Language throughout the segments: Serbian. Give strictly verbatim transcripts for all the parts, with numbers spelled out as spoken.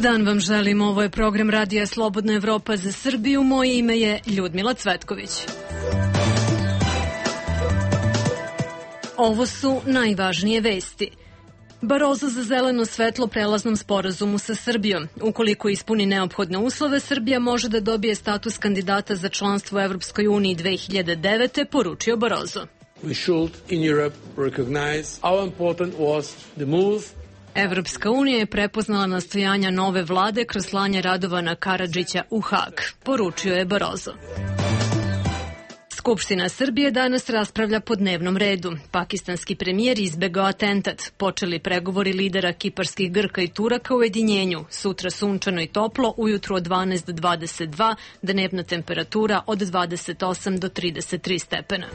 dan vam želim, ovo je program Radija Slobodna Evropa za Srbiju, moje ime je Ljudmila Cvetković. Ovo su najvažnije vesti. Barozo za zeleno svetlo prelaznom sporazumu sa Srbijom. Ukoliko ispuni neophodne uslove, Srbija može da dobije status kandidata za članstvo u Evropskoj uniji dve hiljade devete. poručio Barozo. We should in Europe recognize how important was the move. Evropska unija je prepoznala nastojanja nove vlade kroz slanje Radovana Karadžića u Hag, poručio je Barozo. Skupština Srbije danas raspravlja po dnevnom redu. Pakistanski premijer izbegao atentat. Počeli pregovori lidera kiparskih Grka i Turaka u ujedinjenju. Sutra sunčano i toplo, ujutru od dvanaest do dvadeset dva, dnevna temperatura od dvadeset osam do trideset tri stepena.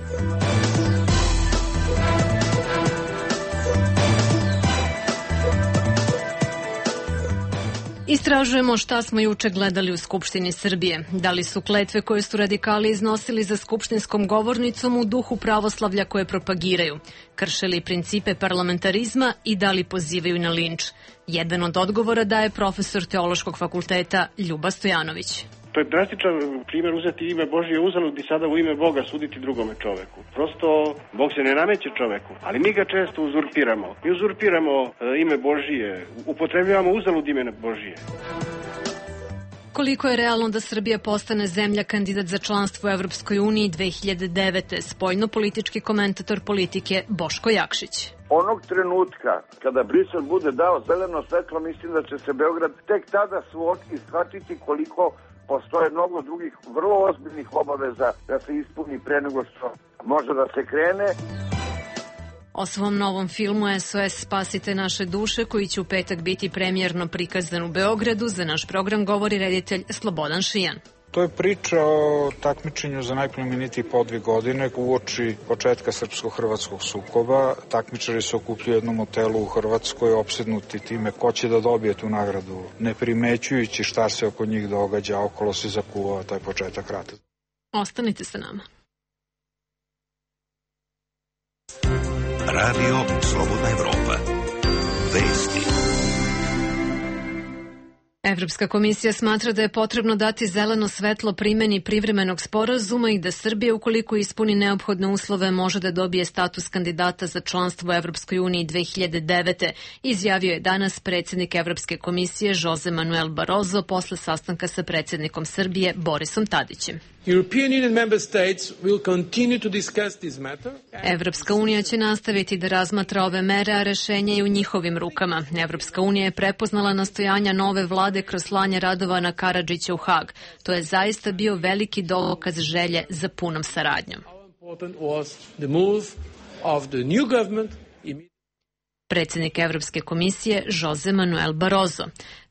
Istražujemo šta smo juče gledali u Skupštini Srbije. Da li su kletve koje su radikali iznosili za skupštinskom govornicom u duhu pravoslavlja koje propagiraju, kršili principe parlamentarizma i da li pozivaju na linč. Jedan od odgovora daje profesor Teološkog fakulteta Ljuba Stojanović. To je drastičan primjer uzeti ime Božije uzalud i sada u ime Boga suditi drugome čoveku. Prosto, Bog se ne nameće čoveku, ali mi ga često uzurpiramo. Mi uzurpiramo e, ime Božije, upotrebljavamo uzalud ime Božije. Koliko je realno da Srbija postane zemlja kandidat za članstvo u Evropskoj uniji dve hiljade devete. Spoljno-politički komentator politike Boško Jakšić. Onog trenutka kada Brisel bude dao zeleno svetlo, mislim da će se Beograd tek tada suočiti, shvatiti koliko postoje mnogo drugih vrlo ozbiljnih obaveza da se ispuni pre nego što može da se krene. O svom novom filmu S O S Spasite naše duše, koji će u petak biti premijerno prikazan u Beogradu, za naš program govori reditelj Slobodan Šijan. To je priča o takmičenju za najplemenitiji podvig godine uoči početka srpsko-hrvatskog sukoba. Takmičari se okupljaju u jednom hotelu u Hrvatskoj, opsednuti time ko će da dobije tu nagradu, ne primećujući šta se oko njih događa, okolo se zakuvao taj početak rata. Ostanite sa nama. Radio Slobodna Evropa. Vesti. Evropska komisija smatra da je potrebno dati zeleno svetlo primeni privremenog sporazuma i da Srbija, ukoliko ispuni neophodne uslove, može da dobije status kandidata za članstvo u Evropskoj uniji dve hiljade devete. Izjavio je danas predsjednik Evropske komisije Jose Manuel Barozo posle sastanka sa predsjednikom Srbije Borisom Tadićem. Evropska unija će nastaviti da razmatra ove mere, a rešenje je u njihovim rukama. Evropska unija je prepoznala nastojanja nove vlade kroz slanje Radovana Karadžića u Hag. To je zaista bio veliki dokaz želje za punom saradnjom. Predsjednik Evropske komisije Jose Manuel Barozo.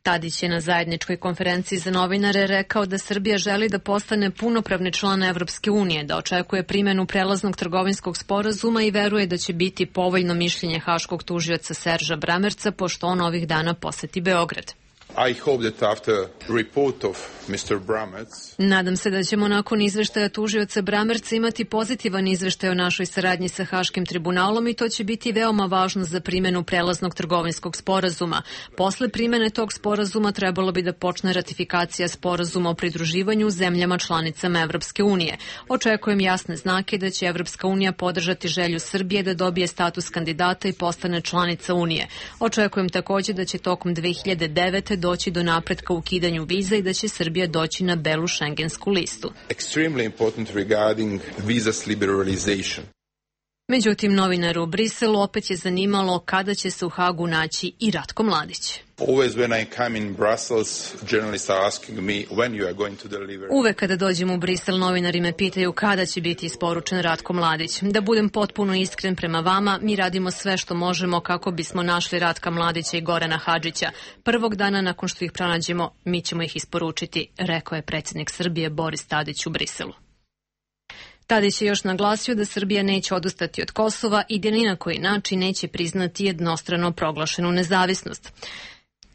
Tadić je na zajedničkoj konferenciji za novinare rekao da Srbija želi da postane punopravni član Evropske unije, da očekuje primjenu prelaznog trgovinskog sporazuma i veruje da će biti povoljno mišljenje haškog tužioca Serža Bramerca, pošto on ovih dana poseti Beograd. I hope that after report of mister Bramertz... Nadam se da ćemo nakon izveštaja tužioca Bramerca imati pozitivan izveštaj o našoj saradnji sa Haškim tribunalom i to će biti veoma važno za primjenu prelaznog trgovinskog sporazuma. Posle primjene tog sporazuma trebalo bi da počne ratifikacija sporazuma o pridruživanju zemljama članicama Evropske unije. Očekujem jasne znake da će Evropska unija podržati želju Srbije da dobije status kandidata i postane članica Unije. Očekujem također da će tokom dve hiljade devete doći do napretka u ukidanju viza i da će Srbija doći na belu šengensku listu. Extremely important regarding visas liberalization. Međutim, novinaru u Briselu opet je zanimalo kada će se u Hagu naći i Ratko Mladić. Uvek kada dođem u Brisel, novinari me pitaju kada će biti isporučen Ratko Mladić. Da budem potpuno iskren prema vama, mi radimo sve što možemo kako bismo našli Ratka Mladića i Gorana Hadžića. Prvog dana nakon što ih pronađemo, mi ćemo ih isporučiti, rekao je predsjednik Srbije Boris Tadić u Briselu. Tadić je još naglasio da Srbija neće odustati od Kosova i da ni na koji način neće priznati jednostrano proglašenu nezavisnost.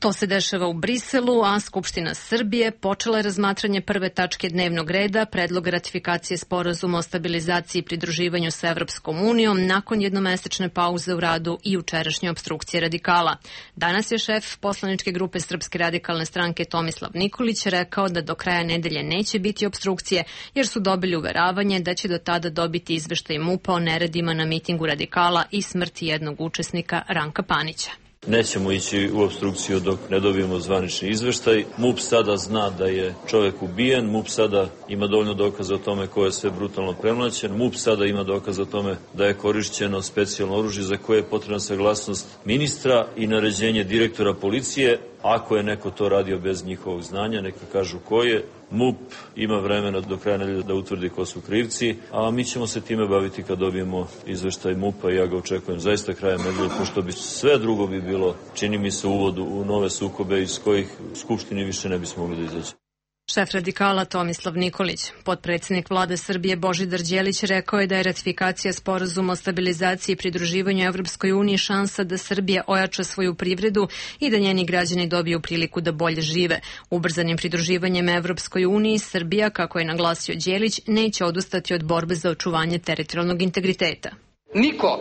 To se dešava u Briselu, a Skupština Srbije počela je razmatranje prve tačke dnevnog reda, predlog ratifikacije sporazuma o stabilizaciji i pridruživanju sa Evropskom unijom nakon jednomesečne pauze u radu i jučerašnje opstrukcije radikala. Danas je šef poslaničke grupe Srpske radikalne stranke Tomislav Nikolić rekao da do kraja nedelje neće biti opstrukcije jer su dobili uveravanje da će do tada dobiti izveštaj MUP-a o neredima na mitingu radikala i smrti jednog učesnika Ranka Panića. Nećemo ići u opstrukciju dok ne dobijemo zvanični izveštaj. MUP sada zna da je čovjek ubijen, MUP sada ima dovoljno dokaza o tome ko je sve brutalno premlaćen, MUP sada ima dokaza o tome da je korišćeno specijalno oružje za koje je potrebna saglasnost ministra i naređenje direktora policije. Ako je neko to radio bez njihovog znanja, neka kažu ko je. MUP ima vremena do kraja nedelje da utvrdi ko su krivci, a mi ćemo se time baviti kad dobijemo izveštaj MUP-a i ja ga očekujem zaista krajem nedelje, pošto bi sve drugo bi bilo, čini mi se, uvodu u nove sukobe iz kojih Skupštini više ne bismo mogli da izaći. Šef radikala Tomislav Nikolić. Potpredsednik vlade Srbije Božidar Đelić rekao je da je ratifikacija sporazuma o stabilizaciji i pridruživanju Evropskoj uniji šansa da Srbija ojača svoju privredu i da njeni građani dobiju priliku da bolje žive. Ubrzanim pridruživanjem Evropskoj uniji Srbija, kako je naglasio Đelić, neće odustati od borbe za očuvanje teritorijalnog integriteta. Niko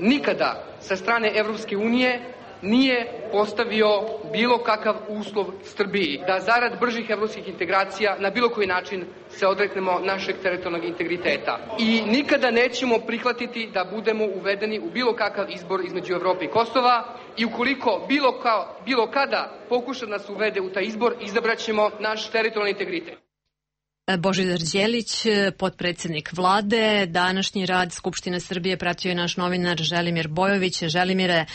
nikada sa strane Evropske unije nije postavio bilo kakav uslov Srbiji da zarad bržih evropskih integracija na bilo koji način se odreknemo našeg teritorijalnog integriteta. I nikada nećemo prihvatiti da budemo uvedeni u bilo kakav izbor između Evrope i Kosova i ukoliko bilo, kao, bilo kada pokuša nas uvede u taj izbor, izabraćemo naš teritorijalni integritet. Božidar Đelić, potpredsednik vlade. Današnji rad Skupštine Srbije pratio je naš novinar Želimir Bojović. Želimire,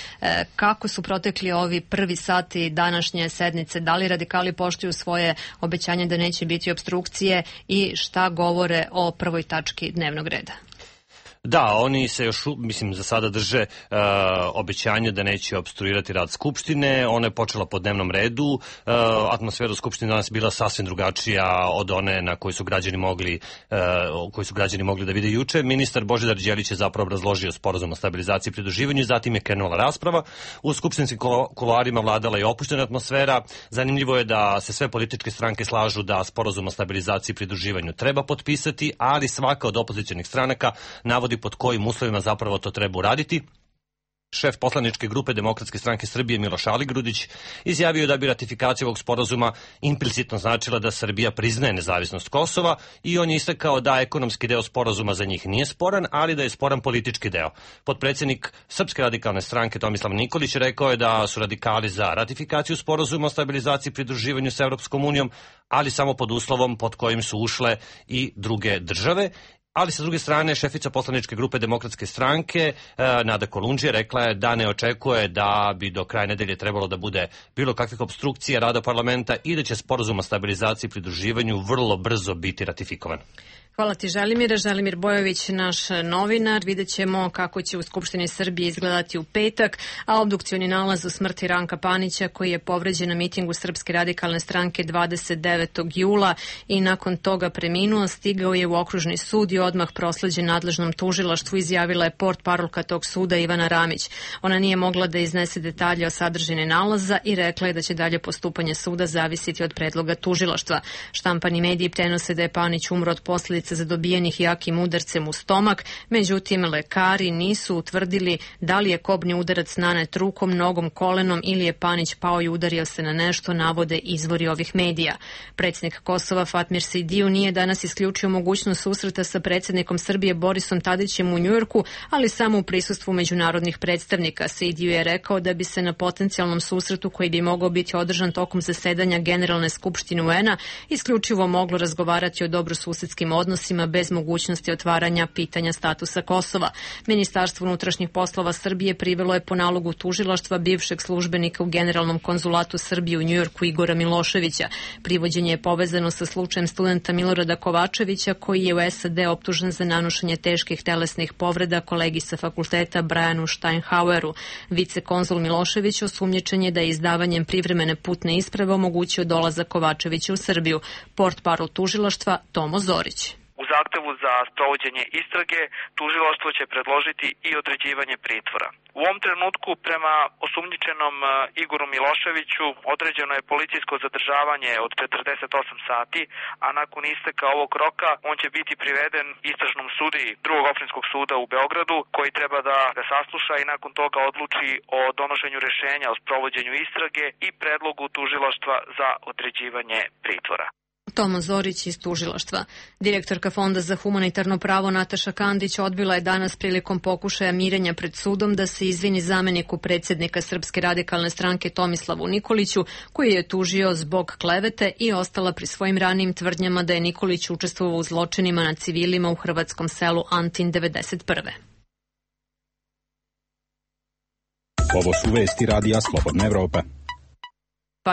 kako su protekli ovi prvi sati današnje sednice? Da li radikali poštuju svoje obećanje da neće biti opstrukcije i šta govore o prvoj tački dnevnog reda? Da, oni se još, mislim, za sada drže uh, obećanje da neće opstruirati rad Skupštine. Ona je počela po dnevnom redu. Uh, atmosfera u Skupštini danas bila sasvim drugačija od one na koju su građani mogli, uh, koju su građani mogli da vide juče. Ministar Božidar Đelić je zapravo obrazložio sporazum o stabilizaciji i pridruživanju, zatim je krenula rasprava. U skupštinskim kuloarima vladala je opuštena atmosfera. Zanimljivo je da se sve političke stranke slažu da sporazum o stabilizaciji i pridruživanju treba potpisati, ali svaka od opozicionih stranaka navodi pod kojim uslovima zapravo to treba uraditi. Šef poslaničke grupe Demokratske stranke Srbije Miloš Aligrudić izjavio je da bi ratifikacija ovog sporazuma implicitno značila da Srbija priznaje nezavisnost Kosova i on je istakao da ekonomski deo sporazuma za njih nije sporan, ali da je sporan politički deo. Potpredsjednik Srpske radikalne stranke Tomislav Nikolić rekao je da su radikali za ratifikaciju sporazuma o stabilizaciji i pridruživanju sa Evropskom unijom, ali samo pod uslovom pod kojim su ušle i druge države. Ali sa druge strane, šefica poslaničke grupe Demokratske stranke, Nada Kolundžija, rekla je da ne očekuje da bi do kraja nedelje trebalo da bude bilo kakvih opstrukcija rada parlamenta i da će sporazum o stabilizaciji i pridruživanju vrlo brzo biti ratifikovan. Hvala ti, Želimire. Želimir Bojović, naš novinar. Vidjet ćemo kako će u Skupštini Srbije izgledati u petak, a obdukcioni nalaz u smrti Ranka Panića, koji je povređen na mitingu Srpske radikalne stranke dvadeset devetog jula i nakon toga preminuo, stigao je u okružni sud i odmah prosleđen nadležnom tužilaštvu, izjavila je portparolka tog suda Ivana Ramić. Ona nije mogla da iznese detalje o sadržini nalaza i rekla je da će dalje postupanje suda zavisiti od predloga tužilaštva. Štampani mediji prenose da je Panić umro od posljedica zadobijenih jakim udarcem u stomak, međutim lekari nisu utvrdili da li je kobni udarac nanet rukom, nogom, kolenom ili je Panić pao i udario se na nešto, navode izvori ovih medija. Predsjednik Kosova Fatmir Sejdiju nije danas isključio mogućnost susreta sa predsjednikom Srbije Borisom Tadićem u Njujorku, ali samo u prisustvu međunarodnih predstavnika. Sejdiju je rekao da bi se na potencijalnom susretu koji bi mogao biti održan tokom zasedanja Generalne skupštine U N-a isključivo moglo razgovarati o dobrosusedskim odnosima bez mogućnosti otvaranja pitanja statusa Kosova. Ministarstvo unutrašnjih poslova Srbije privelo je po nalogu tužilaštva bivšeg službenika u Generalnom konzulatu Srbije u Njujorku Igora Miloševića. Privođenje je povezano sa slučajem studenta Milorada Kovačevića, koji je u S A D optužen za nanošenje teških telesnih povreda kolegi sa fakulteta Brianu Steinhaueru. Vicekonzul Milošević osumnjičen je da je izdavanjem privremene putne isprave omogućio dolazak Kovačevića u Srbiju. Portparol tužilaštva Tomo Zorić. U zahtevu osnovu za sprovođenje istrage tužilaštvo će predložiti i određivanje pritvora. U ovom trenutku prema osumnjičenom Igoru Miloševiću određeno je policijsko zadržavanje od četrdeset osam sati, a nakon isteka ovog roka on će biti priveden istražnom sudiji drugog opštinskog suda u Beogradu, koji treba da ga sasluša i nakon toga odluči o donošenju rešenja o sprovođenju istrage i predlogu tužilaštva za određivanje pritvora. Tomo Zorić iz tužilaštva. Direktorka Fonda za humanitarno pravo Nataša Kandić odbila je danas prilikom pokušaja mirenja pred sudom da se izvini zameniku predsjednika Srpske radikalne stranke Tomislavu Nikoliću, koji je tužio zbog klevete i ostala pri svojim ranijim tvrdnjama da je Nikolić učestvovao u zločinima nad civilima u hrvatskom selu Antin devedeset prve. Ovo su vesti radija Slobodna Evropa.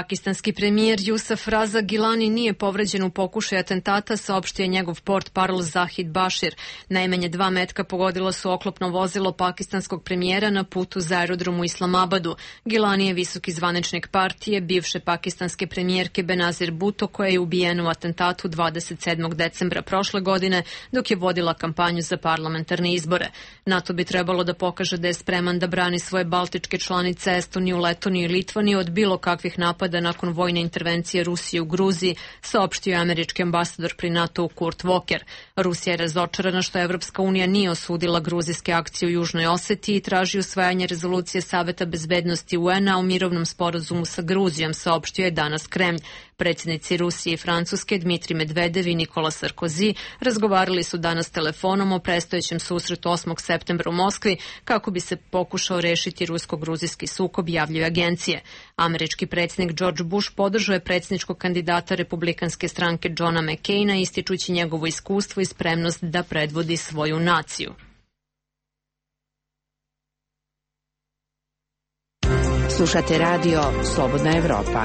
Pakistanski premijer Jusuf Raza Gilani nije povređen u pokušaju atentata, saopštio je njegov portparol Zahid Bashir. Najmanje dva metka pogodila su oklopno vozilo pakistanskog premijera na putu za aerodrom u Islamabadu. Gilani je visoki zvaničnik partije bivše pakistanske premijerke Benazir Bhutto, koja je ubijena u atentatu dvadeset sedmog decembra prošle godine dok je vodila kampanju za parlamentarne izbore. NATO bi trebalo da pokaže da je spreman da brani svoje baltičke članice Estoniju, Letoniju i Litvaniju od bilo kakvih napada da nakon vojne intervencije Rusije u Gruziji, saopštio je američki ambasador pri NATO Kurt Walker. Rusija je razočarana što Evropska unija nije osudila gruzijske akcije u Južnoj Osetiji i traži usvajanje rezolucije Saveta bezbednosti U N-a o mirovnom sporazumu sa Gruzijom, saopštio je danas Kremlj. Predsjednici Rusije i Francuske Dmitri Medvedev i Nikola Sarkozy razgovarali su danas telefonom o predstojećem susretu osmog septembra u Moskvi kako bi se pokušao rešiti rusko-gruzijski sukob, javljaju agencije. Američki predsjednik George Bush podržao je predsjedničkog kandidata republikanske stranke Johna McCaina, ističući njegovo iskustvo i spremnost da predvodi svoju naciju. Slušate radio Slobodna Evropa.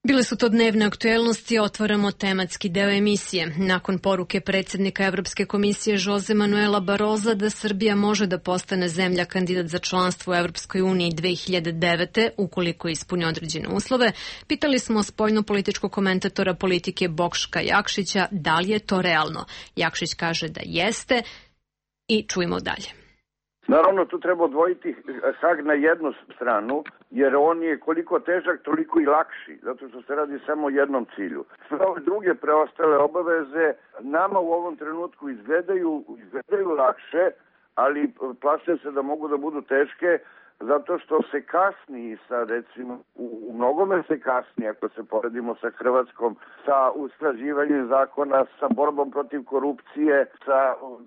Bile su to dnevne aktuelnosti, otvaramo tematski deo emisije. Nakon poruke predsjednika Evropske komisije Jose Manuela Baroza da Srbija može da postane zemlja kandidat za članstvo u Evropskoj uniji dve hiljade devete. ukoliko ispuni određene uslove, pitali smo spoljno-političkog komentatora politike Boška Jakšića da li je to realno. Jakšić kaže da jeste i čujemo dalje. Naravno, tu treba odvojiti Hag na jednu stranu, jer on je koliko težak, toliko i lakši, zato što se radi samo o jednom cilju. Sve ove druge preostale obaveze nama u ovom trenutku izgledaju, izgledaju lakše, ali plaše se da mogu da budu teške, zato što se kasni sa, recimo, u, u mnogome se kasni, ako se poredimo sa Hrvatskom, sa usklađivanjem zakona, sa borbom protiv korupcije, sa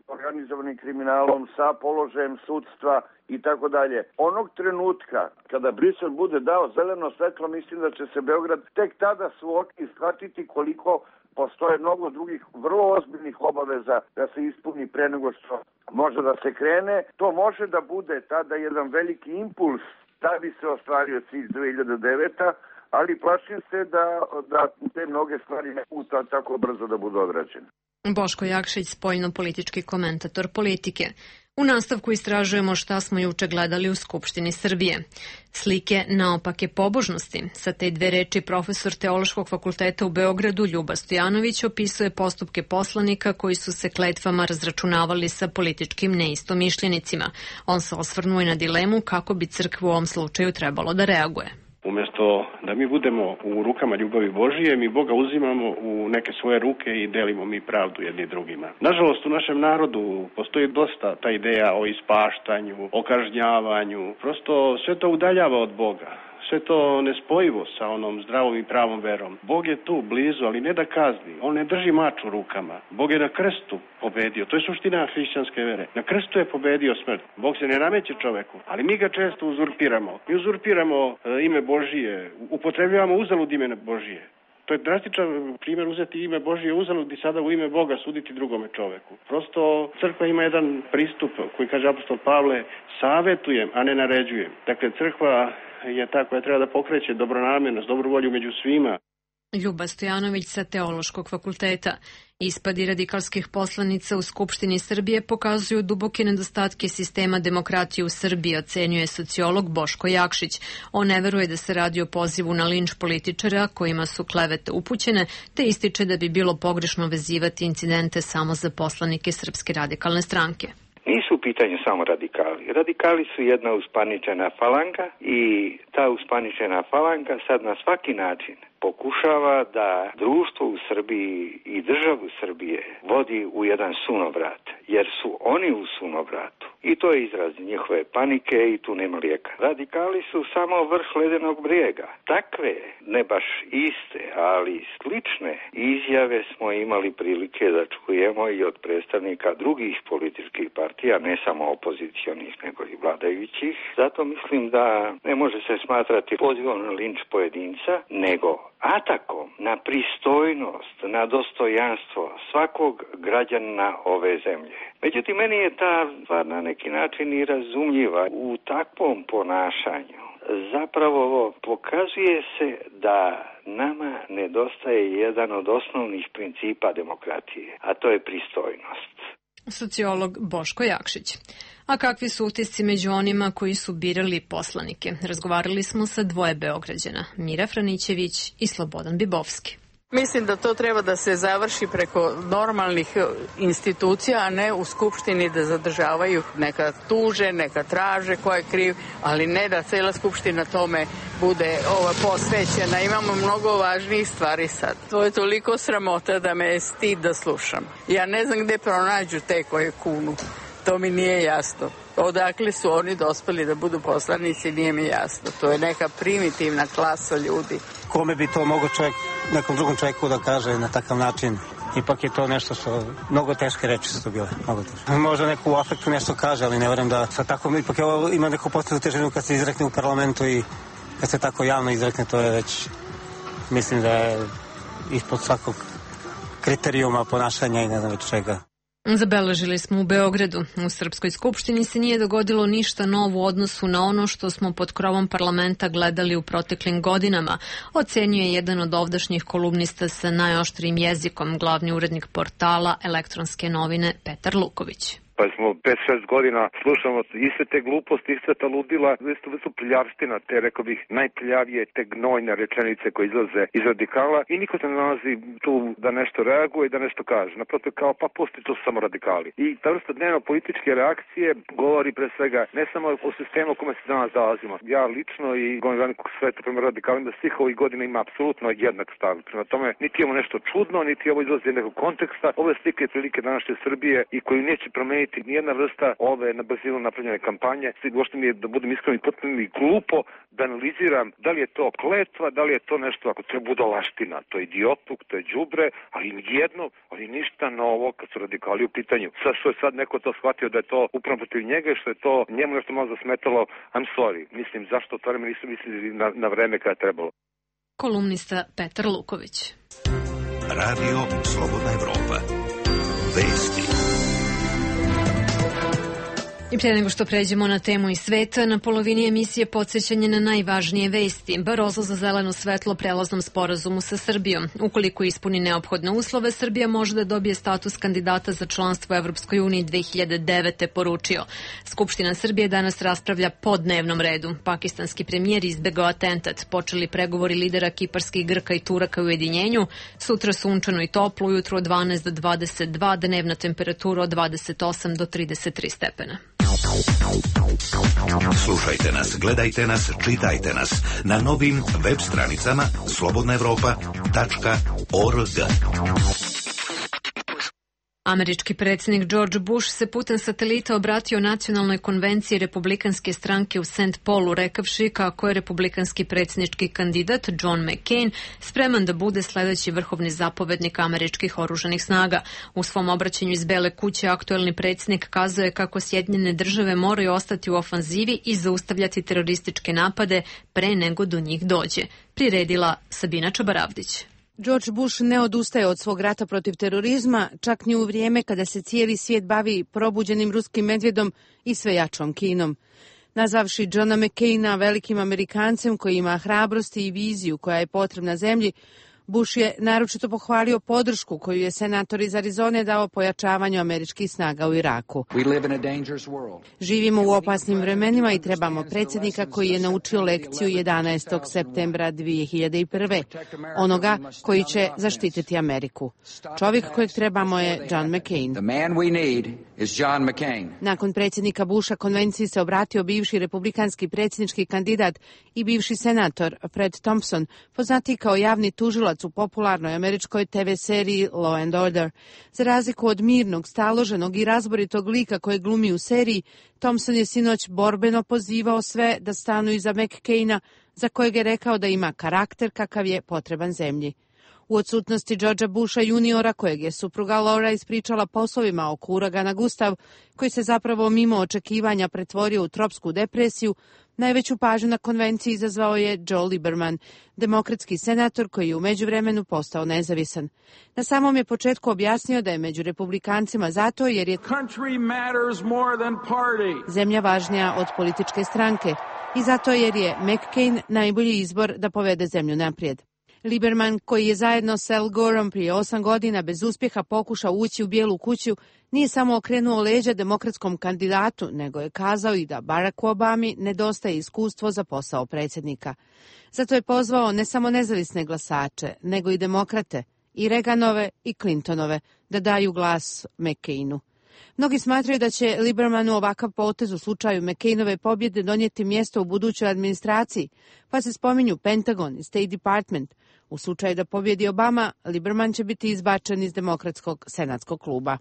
organizovanim kriminalom, sa položajem sudstva i tako dalje. Onog trenutka kada Brisel bude dao zeleno svetlo, mislim da će se Beograd tek tada suočiti i shvatiti koliko postoje mnogo drugih vrlo ozbiljnih obaveza da se ispuni pre nego što može da se krene. To može da bude tada jedan veliki impuls da bi se ostvario cilj dve hiljade devete. ali plašim se da, da te mnoge stvari ne puta tako brzo da budu odrađene. Boško Jakšić, spoljno-politički komentator politike. U nastavku istražujemo šta smo juče gledali u Skupštini Srbije. Slike naopake pobožnosti. Sa te dve reči profesor Teološkog fakulteta u Beogradu Ljuba Stojanović opisuje postupke poslanika koji su se kletvama razračunavali sa političkim neistomišljenicima. On se osvrnuo i na dilemu kako bi crkva u ovom slučaju trebalo da reaguje. Umjesto da mi budemo u rukama ljubavi Božije, mi Boga uzimamo u neke svoje ruke i delimo mi pravdu jedni drugima. Nažalost, u našem narodu postoji dosta ta ideja o ispaštanju, o kažnjavanju. Prosto sve to udaljava od Boga. Sve to nespojivo sa onom zdravom i pravom verom. Bog je tu, blizu, ali ne da kazni. On ne drži mač u rukama. Bog je na krstu pobedio. To je suština hrišćanske vere. Na krstu je pobedio smrt. Bog se ne nameće čoveku, ali mi ga često uzurpiramo. Mi uzurpiramo e, ime Božije, upotrebljavamo uzalud ime Božije. To je drastičan primjer uzeti ime Božije uzalud i sada u ime Boga suditi drugome čoveku. Prosto crkva ima jedan pristup koji kaže apostol Pavle, savetujem, a ne naređujem. Dakle, crkva je ta koja treba da pokreće dobronamjernost, dobru volju među svima. Ljuba Stojanović sa Teološkog fakulteta. Ispadi radikalskih poslanica u Skupštini Srbije pokazuju duboke nedostatke sistema demokratije u Srbiji, ocenjuje sociolog Boško Jakšić. On ne veruje da se radi o pozivu na linč političara kojima su klevete upućene, te ističe da bi bilo pogrešno vezivati incidente samo za poslanike Srpske radikalne stranke. Nisu u pitanju samo radikali. Radikali su jedna uspaničena falanga i ta uspaničena falanga sad na svaki način pokušava da društvo u Srbiji i državu Srbije vodi u jedan sunovrat, jer su oni u sunovratu. I to je izraz njihove panike i tu nema lijeka. Radikali su samo vrh ledenog brijega. Takve, ne baš iste, ali slične izjave smo imali prilike da čujemo i od predstavnika drugih političkih partija, ne samo opozicionih nego i vladajućih. Zato mislim da ne može se smatrati pozivom na linč pojedinca, nego atakom na pristojnost, na dostojanstvo svakog građanina ove zemlje. Međutim, meni je ta stvar na neki način i razumljiva. U takvom ponašanju zapravo pokazuje se da nama nedostaje jedan od osnovnih principa demokratije, a to je pristojnost. Sociolog Boško Jakšić. A kakvi su utisci među onima koji su birali poslanike? Razgovarali smo sa dvoje Beograđana, Mira Franićević i Slobodan Bibovski. Mislim da to treba da se završi preko normalnih institucija, a ne u Skupštini da zadržavaju, neka tuže, neka traže ko je kriv, ali ne da cela Skupština tome bude ova posvećena. Imamo mnogo važnijih stvari sad. To je toliko sramota da me je stid da slušam. Ja ne znam gde pronađu te koje kunu. To mi nije jasno. Odakle su oni dospeli da budu poslanici, nije mi jasno. To je neka primitivna klasa ljudi. Kome bi to mogo čovjek, nekom drugom čovjeku da kaže na takav način? Ipak je to nešto što, mnogo teške reči su to bile, mnogo teške. Možda neko u afektu nešto kaže, ali ne verujem da sa tako, ipak je ovo, ima neku posebnu težinu kad se izrekne u parlamentu i kad se tako javno izrekne, to je već, mislim da je ispod svakog kriterijuma ponašanja i ne znam već čega. Zabeležili smo u Beogradu. U Srpskoj skupštini se nije dogodilo ništa novo u odnosu na ono što smo pod krovom parlamenta gledali u proteklim godinama, ocenjuje jedan od ovdašnjih kolumnista sa najoštrijim jezikom, glavni urednik portala Elektronske novine Petar Luković. Pa smo pet šest godina slušamo iste te gluposti, iste ta ludila, isto su prljavština, te rekao bih najprljavije, te gnojne rečenice koje izlaze iz radikala i niko se ne nalazi tu da nešto reaguje i da nešto kaže. Naprotiv kao pa postoji to samo radikali. I ta vrsta dnevno političke reakcije govori pre svega ne samo o sistemu u kome se danas nalazimo. Ja lično i govorim velikog sveta prema radikalima da svih ovih godina ima apsolutno jednak stav. Prema tome niti imamo nešto čudno, niti ovo izlazi iz nekog konteksta. Ove slike i prilike današnje Srbije i koju neće promeniti nijedna vrsta ove na brzinu napravljene kampanje. Uopšte mi je, da budem iskren, potpuno mi glupo da analiziram da li je to kletva, da li je to nešto, ako to je budalaština, to je idiotluk, to je đubre, ali jedno, ali ništa novo kad su radikali u pitanju. Sad što je sad neko to shvatio da je to upravo protiv njega i što je to njemu nešto malo zasmetalo, I'm sorry. Mislim, zašto to vreme nisu mislili na, na vreme kada je trebalo. Kolumnista Petar Luković. Radio Slobodna Evropa. Vesti. I prije nego što pređemo na temu iz sveta, na polovini emisije podsjećanje na najvažnije vesti. Barozo za zeleno svetlo prelaznom sporazumu sa Srbijom. Ukoliko ispuni neophodne uslove, Srbija može da dobije status kandidata za članstvo u Evropskoj uniji dve hiljade devete. poručio. Skupština Srbije danas raspravlja po dnevnom redu. Pakistanski premijer izbegao atentat. Počeli pregovori lidera kiparskih Grka i Turaka u ujedinjenju. Sutra sunčano i toplo, ujutro od dvanaest do dvadeset dva, dnevna temperatura od dvadeset osam do trideset tri stepena. Slušajte nas, gledajte nas, čitajte nas na novim web stranicama slobodna evropa tačka org. Američki predsjednik George Bush se putem satelita obratio nacionalnoj konvenciji republikanske stranke u Saint Paulu, rekavši kako je republikanski predsjednički kandidat John McCain spreman da bude sledeći vrhovni zapovednik američkih oružanih snaga. U svom obraćanju iz Bele kuće aktuelni predsjednik kazao je kako Sjedinjene države moraju ostati u ofanzivi i zaustavljati terorističke napade pre nego do njih dođe. Priredila Sabina Čabaravdić. George Bush ne odustaje od svog rata protiv terorizma, čak ni u vrijeme kada se cijeli svijet bavi probuđenim ruskim medvjedom i sve jačom Kinom. Nazvavši Johna McCaina velikim Amerikancem koji ima hrabrosti i viziju koja je potrebna zemlji, Bush je naročito pohvalio podršku koju je senator iz Arizone dao pojačavanju američkih snaga u Iraku. Živimo u opasnim vremenima i trebamo predsjednika koji je naučio lekciju jedanaestog septembra dve hiljade prve. Onoga koji će zaštititi Ameriku. Čovjek kojeg trebamo je John McCain. Nakon predsjednika Busha konvenciji se obratio bivši republikanski predsjednički kandidat i bivši senator Fred Thompson, poznatiji kao javni tužilac u popularnoj američkoj te ve seriji Law and Order. Za razliku od mirnog, staloženog i razboritog lika koje glumi u seriji, Thompson je sinoć borbeno pozivao sve da stanu iza McCaina, za kojeg je rekao da ima karakter kakav je potreban zemlji. U odsutnosti Georgea Busha juniora, kojeg je supruga Laura ispričala poslovima oko uragana Gustav, koji se zapravo mimo očekivanja pretvorio u tropsku depresiju, najveću pažnju na konvenciji izazvao je Joe Lieberman, demokratski senator koji je u međuvremenu postao nezavisan. Na samom je početku objasnio da je među republikancima zato jer je zemlja važnija od političke stranke i zato jer je McCain najbolji izbor da povede zemlju naprijed. Lieberman, koji je zajedno s Al Goreom prije osam godina bez uspjeha pokušao ući u Bijelu kuću, nije samo okrenuo leđa demokratskom kandidatu, nego je kazao i da Baracku Obami nedostaje iskustvo za posao predsjednika. Zato je pozvao ne samo nezavisne glasače, nego i demokrate, i Reaganove i Clintonove, da daju glas McCainu. Mnogi smatraju da će Liebermanu ovakav potez u slučaju McCainove pobjede donijeti mjesto u budućoj administraciji, pa se spominju Pentagon i State Department. U slučaju da pobjedi Obama, Lieberman će biti izbačen iz demokratskog senatskog kluba.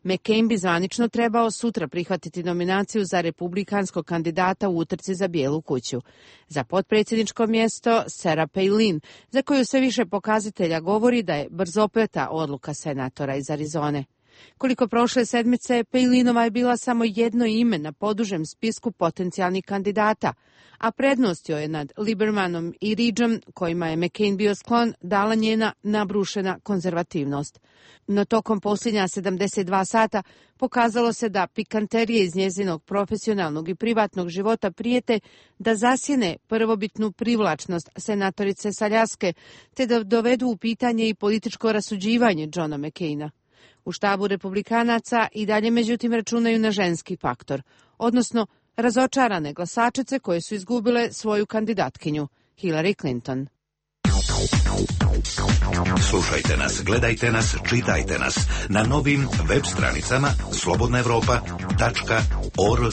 McCain bi zvanično trebao sutra prihvatiti nominaciju za republikanskog kandidata u utrci za Bijelu kuću. Za potpredsjedničko mjesto Sarah Palin, za koju sve više pokazatelja govori da je brzopleta odluka senatora iz Arizone. Koliko prošle sedmice, Palinova je bila samo jedno ime na podužem spisku potencijalnih kandidata, a prednost joj je nad Liebermanom i Ridgeom, kojima je McCain bio sklon, dala njena nabrušena konzervativnost. No tokom posljednja sedamdeset dva sata pokazalo se da pikanterije iz njezinog profesionalnog i privatnog života prijete da zasjene prvobitnu privlačnost senatorice s Aljaske, te da dovedu u pitanje i političko rasuđivanje Johna McCaina. U štabu republikanaca i dalje međutim računaju na ženski faktor, odnosno razočarane glasačice koje su izgubile svoju kandidatkinju, Hillary Clinton. Slušajte nas, gledajte nas, čitajte nas na novim web stranicama slobodna evropa tačka org.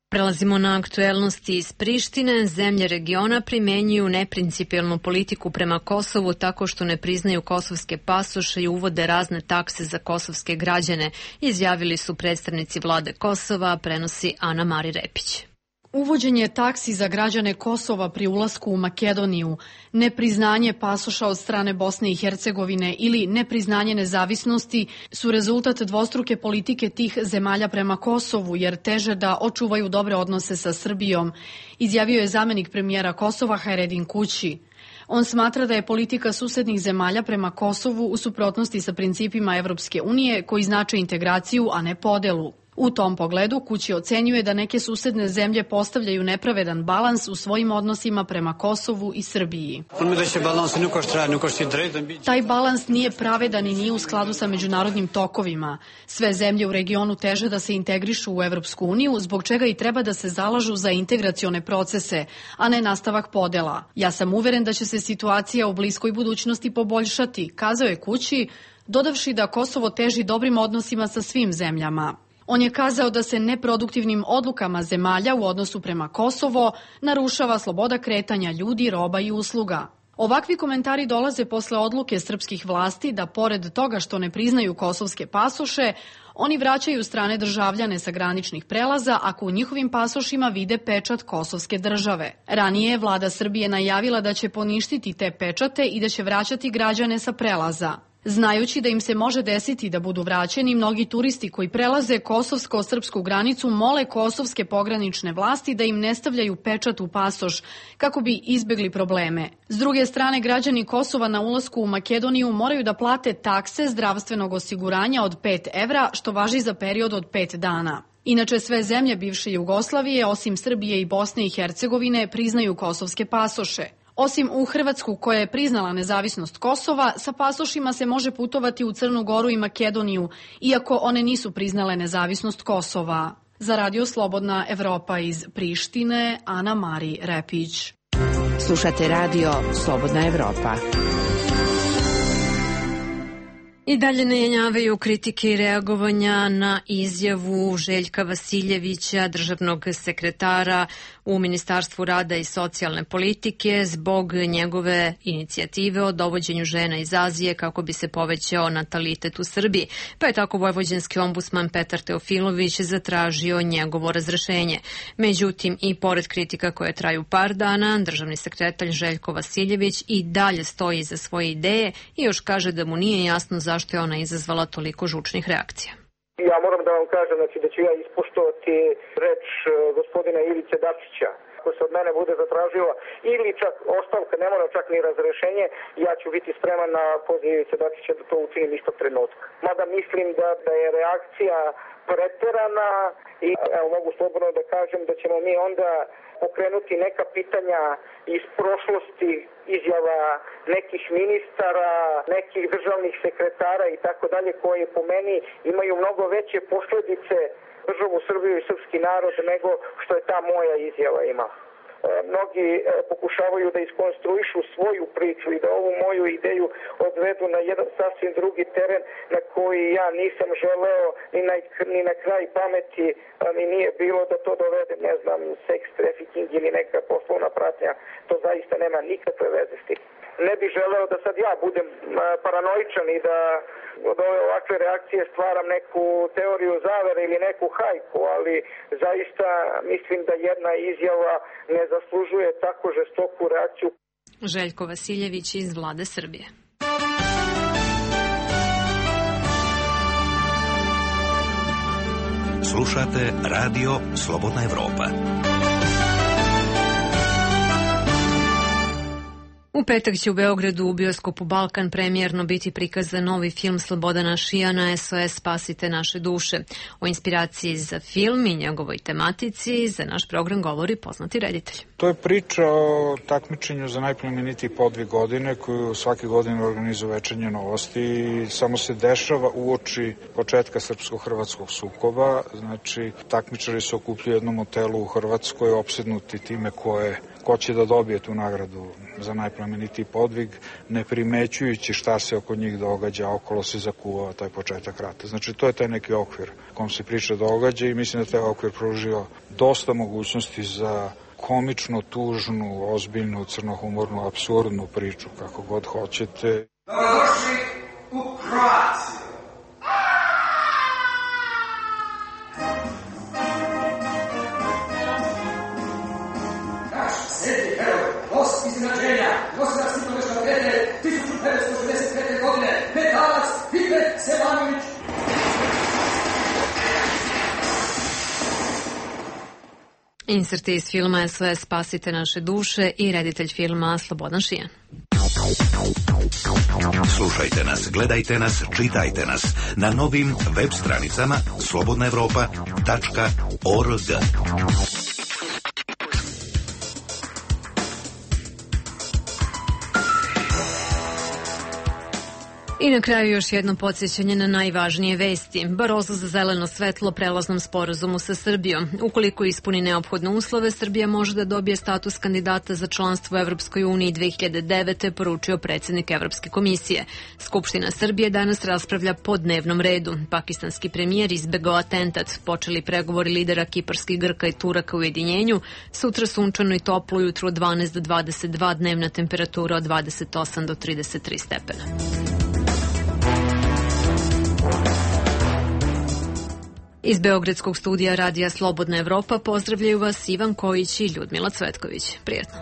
Prelazimo na aktuelnosti iz Prištine. Zemlje regiona primenjuju neprincipijelnu politiku prema Kosovu tako što ne priznaju kosovske pasoše i uvode razne takse za kosovske građane, izjavili su predstavnici vlade Kosova, prenosi Ana Mari Repić. Uvođenje taksi za građane Kosova pri ulasku u Makedoniju, nepriznanje pasoša od strane Bosne i Hercegovine ili nepriznanje nezavisnosti su rezultat dvostruke politike tih zemalja prema Kosovu, jer teže da očuvaju dobre odnose sa Srbijom, izjavio je zamenik premijera Kosova Hajredin Kući. On smatra da je politika susednih zemalja prema Kosovu u suprotnosti sa principima Evropske unije koji znače integraciju, a ne podelu. U tom pogledu Kući ocenjuje da neke susedne zemlje postavljaju nepravedan balans u svojim odnosima prema Kosovu i Srbiji. Taj balans nije pravedan i nije u skladu sa međunarodnim tokovima. Sve zemlje u regionu teže da se integrišu u Evropsku uniju, zbog čega i treba da se zalažu za integracione procese, a ne nastavak podela. Ja sam uveren da će se situacija u bliskoj budućnosti poboljšati, kazao je Kući, dodavši da Kosovo teži dobrim odnosima sa svim zemljama. On je kazao da se neproduktivnim odlukama zemalja u odnosu prema Kosovo narušava sloboda kretanja ljudi, roba i usluga. Ovakvi komentari dolaze posle odluke srpskih vlasti da pored toga što ne priznaju kosovske pasoše, oni vraćaju strane državljane sa graničnih prelaza ako u njihovim pasošima vide pečat kosovske države. Ranije je vlada Srbije najavila da će poništiti te pečate i da će vraćati građane sa prelaza. Znajući da im se može desiti da budu vraćeni, mnogi turisti koji prelaze kosovsko-srpsku granicu mole kosovske pogranične vlasti da im ne stavljaju pečat u pasoš kako bi izbjegli probleme. S druge strane, građani Kosova na ulasku u Makedoniju moraju da plate takse zdravstvenog osiguranja od pet evra, što važi za period od pet dana. Inače, sve zemlje bivše Jugoslavije, osim Srbije i Bosne i Hercegovine, priznaju kosovske pasoše. Osim u Hrvatsku, koja je priznala nezavisnost Kosova, sa pasošima se može putovati u Crnu Goru i Makedoniju, iako one nisu priznale nezavisnost Kosova. Za Radio Slobodna Evropa iz Prištine, Ana Mari Repić. Slušate Radio Slobodna Evropa. I dalje ne jenjavaju kritike i reagovanja na izjavu Željka Vasiljevića, državnog sekretara u Ministarstvu rada i socijalne politike, zbog njegove inicijative o dovođenju žena iz Azije kako bi se povećao natalitet u Srbiji. Pa je tako vojvođanski ombudsman Petar Teofilović zatražio njegovo razrešenje. Međutim, i pored kritika koje traju par dana, državni sekretar Željko Vasiljević i dalje stoji iza svoje ideje i još kaže da mu nije jasno zašto je ona izazvala toliko žučnih reakcija. Ja moram da vam kažem znači, da ću ja ispoštovati reč gospodina Ivice Dačića. Ako se od mene bude zatražila ili čak ostavka, ne mora čak ni razrešenje, ja ću biti spreman na poziv Ivice Dačića da to učinim istog trenutka. Mada mislim da, da je reakcija preterana i evo, mogu slobodno da kažem da ćemo mi onda pokrenuti neka pitanja iz prošlosti, izjava nekih ministara, nekih državnih sekretara i tako dalje, koje po meni imaju mnogo veće posledice državu Srbiju i srpski narod nego što je ta moja izjava ima. Mnogi pokušavaju da iskonstruišu svoju priču i da ovu moju ideju odvedu na jedan sasvim drugi teren na koji ja nisam želeo ni na, ni na kraj pameti mi nije bilo da to dovede, ne znam, seks trafficking ili neka poslovna pratnja. To zaista nema nikakve veze s tim. Ne bih želeo da sad ja budem paranoičan i da od ove ovakve reakcije stvaram neku teoriju zavere ili neku hajku, ali zaista mislim da jedna izjava ne zaslužuje tako žestoku reakciju. Željko Vasiljević iz Vlade Srbije. Slušate Radio Slobodna Evropa. U petak će u Beogradu u bioskopu Balkan premijerno biti prikazan novi film Slobodana Šijana S O S Spasite naše duše. O inspiraciji za film i njegovoj tematici za naš program govori poznati reditelj. To je priča o takmičenju za najplemenitiji podvig godine koju svake godine organizuje Večernje novosti i samo se dešava uoči početka srpsko-hrvatskog sukoba. Znači, takmičari se okupljuju u jednom hotelu u Hrvatskoj opsednuti time koje ko će da dobije tu nagradu za najplemenitiji podvig, ne primećujući šta se oko njih događa, okolo se zakuvao taj početak rata. Znači, to je taj neki okvir kom se priča događa i mislim da taj okvir pružio dosta mogućnosti za komično, tužnu, ozbiljnu, crnohumornu, apsurdnu priču, kako god hoćete. Dobrodošli u Kroaciju. Sveti heroj, os iznenađenja, Josip Stipanović Radete, tisuću devetsto šezdeset pete. godine, Metalac, Pipet, Sevanović. Inserti iz filma S O S Spasite naše duše i reditelj filma Slobodan Šijan. Slušajte nas, gledajte nas, čitajte nas na novim web stranicama slobodna evropa tačka org. I na kraju još jedno podsjećanje na najvažnije vesti. Barozo za zeleno svetlo prelaznom sporazumu sa Srbijom. Ukoliko ispuni neophodne uslove, Srbija može da dobije status kandidata za članstvo u Evropskoj uniji dve hiljade devete. poručio predsjednik Evropske komisije. Skupština Srbije danas raspravlja po dnevnom redu. Pakistanski premijer izbegao atentat. Počeli pregovori lidera kiparskih Grka i Turaka u ujedinjenju. Sutra sunčano i toplo, ujutru od dvanaest do dvadeset dva, dnevna temperatura od dvadeset osam do trideset tri stepena. Iz Beogradskog studija Radija Slobodna Evropa pozdravljaju vas Ivan Kojić i Ljudmila Cvetković. Prijetno.